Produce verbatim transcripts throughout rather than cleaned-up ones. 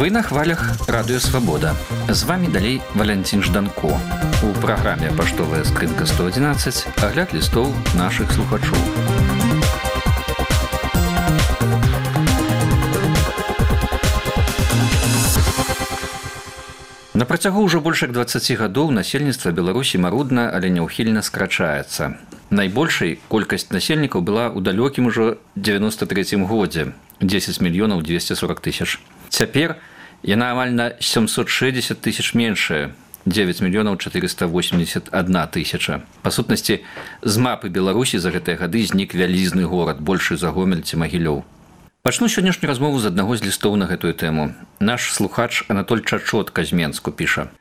Вы на хвалях Радио Свобода. З вами далей Валентин Жданко. У праграме «Паштовая скрынка сто одиннадцать» агляд лістоў нашых слухачоў. На працягу ўжо больш як дваццаці гадоў насельніцтва Беларусі марудна, але няўхільна скрачаецца. Найбольшай колькасць насельнікаў была ў далёкім ужо девяносто третьем годзе – десять мільёнаў двести сорок тысяч. Цяпер яна амаль на семьсот шестьдесят тысяч меншая – девять мільёнаў четыреста восемьдесят одна тысяча. Па сутнасці, з мапы Беларусі за гэтыя гады знік вялізны горад, большы за Гомель ці Магілёў. Пачну сённяшнюю размову з аднаго з лістоў на гэтую тэму. Наш слухач Анатоль Чачотка з Менску піша: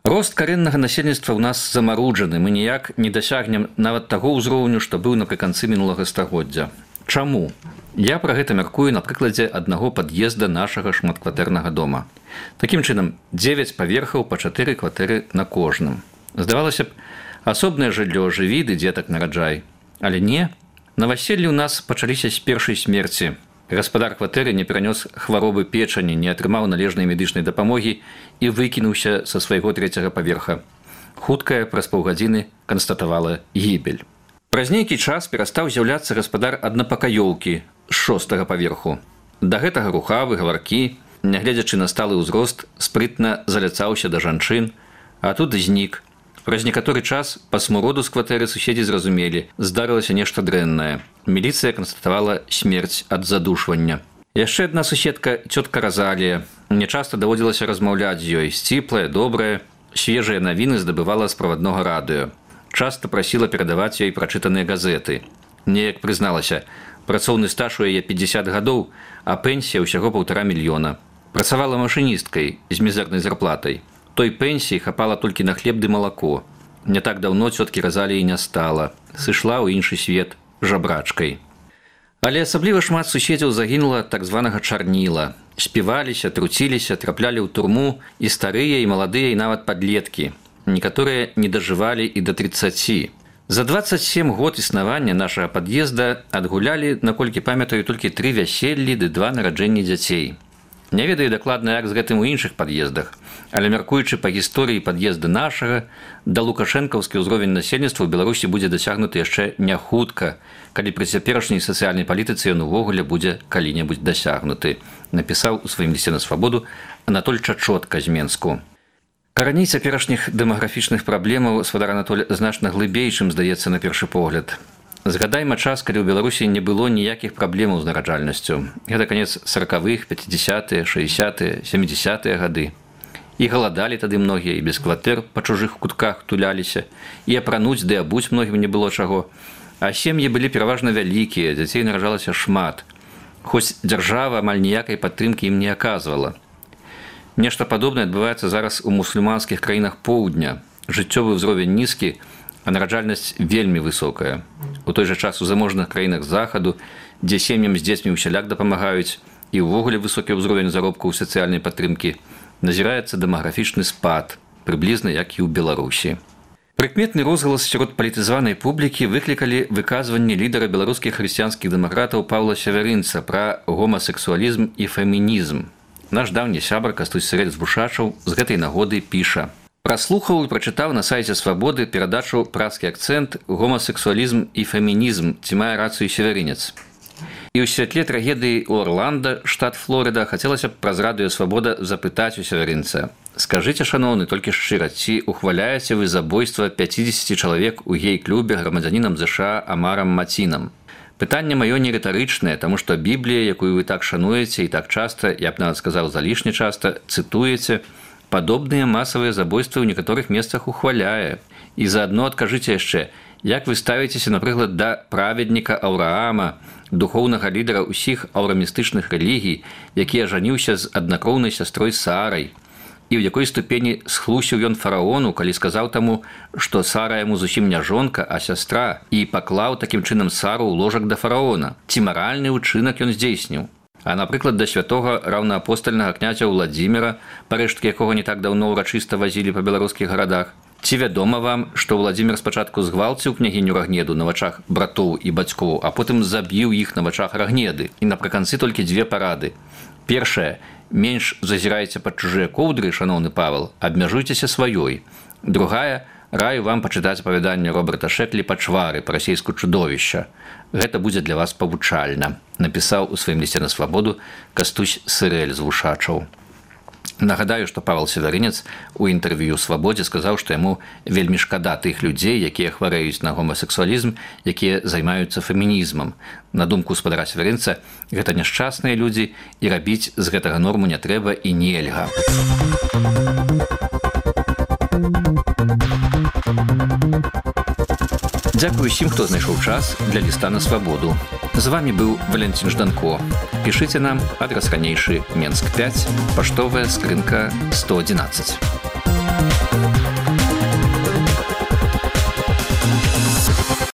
«Рост карэннага насельніцтва ў нас замаруджаны, мы ніяк не дасягнем нават таго ўзроўню, што быў напрыканцы мінулага стагоддзя. Чаму? Я пра гэта мяркую на прыкладзе аднаго пад'езда нашага шматкватэрнага дома. Такім чынам, дзевяць паверхаў па чатыры кватэры на кожным. Здавалася б, асобнае жыллё, жыві ды дзетак нараджай. Але не. Наваселлі ў нас пачаліся з першай смерці. Гаспадар кватэры не перанёс хваробы печані, не атрымаў належнай медычнай дапамогі і выкінуўся са свайго трэцяга паверха. Хуткая праз паўгадзіны канстатавала гібель. Праз нейкі час перастаў з'яўляцца гаспадар аднапакаёўкі з шостага паверху. Да гэтага рухавы, гаваркі, нягледзячы на сталы ўзрост, спрытна заляцаўся да жанчын, а тут знік. Праз некаторы час па смуроду з кватэры суседзі зразумелі, здарылася нешта дрэннае. Міліцыя канстатавала смерць ад задушвання. Яшчэ адна суседка, цётка Разалія. Мне часта даводзілася размаўляць з ёй. Сціплая, добрая, свежыя навіны здабывала з праваднога радыё. Часта прасіла перадаваць ёй прачытаныя газеты. Неяк прызналася, працоўны стаж у яе пятьдесят гадоў, а пенсія ўсяго паўтара мільёна. Працавала машыністкай з мізэрнай зарплатай. Той пенсіі хапала толькі на хлеб ды малако. Не так даўно цёткі Разаліі не стала. Сышла ў іншы свет жабрачкай. Але асабліва шмат суседзяў загінула так званага чарніла. Співаліся, труціліся, траплялі ў турму і старыя, і маладыя, і нават падлеткі. Некаторыя не дажывалі і да тридцати. За двадцать семь год існавання нашага пад'езда адгулялі, наколькі памятаю, толькі тры вяселлі ды два нараджэнні дзяцей. Не ведаю дакладна, як з гэтым у іншых пад'ездах, але мяркуючы па гісторыі пад'езда нашага, да лукашэнкаўскі ўзровень насельніцтва ў Беларусі будзе дасягнуты яшчэ не хутка, калі пры цяперашняй сацыяльнай палітыцы ён увогуле будзе калі-небудзь дасягнуты, напісаў у сваім лісце на Свабоду Анатоль Чачотка з Менску. Караней цяперашніх дэмаграфічных праблемаў свадар Анатоль значна глыбей, чым здаецца на першы погляд. Згадайма час, калі ў Беларусі не было ніякіх праблемаў з нараджальнасцю. Гэта канец сорокавых, пятидесятые, шестидесятые, семидесятые гады. І галадалі тады многія, і без кватэр па чужых кутках туляліся, і апрануць ды абуць многім не было чаго. А сем'і былі пераважна вялікія, дзяцей нараджалася шмат. Хоць дзяржава амаль ніякай падтрымкі ім не аказвала. Нешта падобнае адбываецца зараз у мусульманскіх краінах поўдня. Жыццёвы ўзровень нізкі, а нараджальнасць вельмі высокая. У той жа час у заможных краінах захаду, дзе сем'ям з дзецьмі ўсяляк дапамагаюць, і ўвогуле высокі ўзровень заробкаў сацыяльнай падтрымкі, назіраецца дэмаграфічны спад, прыблізна як і ў Беларусі. Прыкметны розгалас сярод палітызаванай публікі выклікалі выказванні лідара беларускіх хрысціянскіх дэмакратаў Паўла Сявярынца пра гомасексуалізм і фемінізм. Наш даўні сябар Кастусь Сырэль з Бушачаў з гэтай нагоды піша: «Праслухаў і прачытаў на сайце Свабоды перадачу «Праскі акцэнт, гомасексуалізм і фемінізм», ці мае рацыю Сявярынец. І ў святле трагедыі ў Орланда, штат Флорыда, хацелася б праз радыё Свабода запытаць у Сявярынца: скажыце, шаноўны, толькі шчыра, ці ухваляеце вы забойства пятидесяти чалавек у гей-клубе грамадзянінам ЗША Амарам Мацінам? Пытанне маё не рытарычнае, таму што Біблія, якую вы так шануеце і так часта, я б нават сказаў залішне часта, цытуеце, падобныя масавыя забойствы ў некаторых месцах ухваляе. І заадно адкажыце яшчэ, як вы ставіцеся, напрыклад, да праведніка Аўраама, духоўнага лідара ўсіх аўрамістычных рэлігій, які ажаніўся з аднакроўнай сястрой Сарай, і ў якой ступені схлусіў ён фараону, калі сказаў таму, што Сара яму зусім не жонка, а сястра, і паклаў такім чынам Сару ў ложак да фараона. Ці маральны ўчынак ён здзейсніў? А, напрыклад, да святога раўнаапостальнага князя Владзіміра, парэшткі якога не так даўно ўрачыста вазілі па беларускіх гарадах. Ці вядома вам, што Владзімір спачатку згвалціў княгіню Рагнеду на вачах братоў і бацькоў, а потым забіў іх на вачах Рагнеды. І напрыканцы толькі дзве парады. Першае, Менш зазірайце пад чужыя коўдры, шаноўны Павел, абмяжуйцеся сваёй. Другая, раю вам пачытаць апавяданне Роберта Шэклі «Пачвары» па-расейску чудовішча. Гэта будзе для вас павучальна, напісаў у сваім лісце на свабоду Кастусь Сырэль з Вушачаў. Нагадаю, што Павел Северынец у інтэрв'ю «Свабодзе» сказаў, што яму вельмі шкада тых людзей, якія хварэюць на гомасексуалізм, якія займаюцца фемінізмам. На думку спадара Северынца, гэта няшчасныя людзі, і рабіць з гэтага норму не трэба і нельга. Дзякую усім, хто знайшоў час для ліста на свабоду. З вами быў Валентин Жданко. Пішыце нам, адрас ранейшы Менск пяць, паштовая скрынка сто адзінаццаць.